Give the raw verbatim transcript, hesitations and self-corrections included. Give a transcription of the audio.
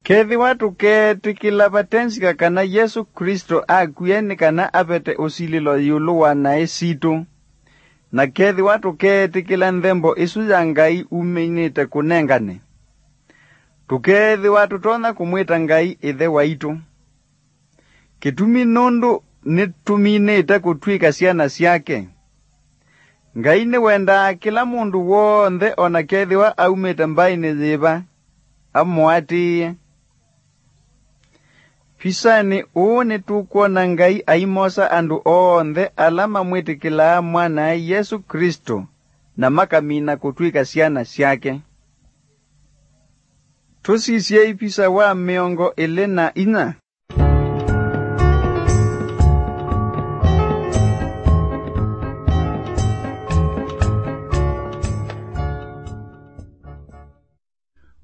Kethĩwa tũkeetĩkĩla vate nzika kana Yesũ Klĩsto akwie nĩ kana avete ũsilĩlo ĩũlũ wa naĩ sitũ, na kethĩwa tũkeetĩkĩla nthembo ĩsu ya Ngai umĩnĩte kũnengane, tũkeethĩwa tũtonya kũmwĩta Ngai Ĩthe waitũ. Kĩtumi nũndũ nĩtũminĩte kũtw'ĩka syana syake. Ngai nĩwendaa kĩla mũndũ w'onthe, o na kethĩwa aumĩte mbaĩnĩ yĩva, amũatĩĩe. Visanĩ ũũ nĩtũkwona Ngai aimosa andũ onthe ala mamwĩtĩkĩlaa Mwanae Yesũ Klĩsto na makamina kũtw'ĩka syana syake. Tũsisyei visa wa mĩongo ĩlĩ na inya.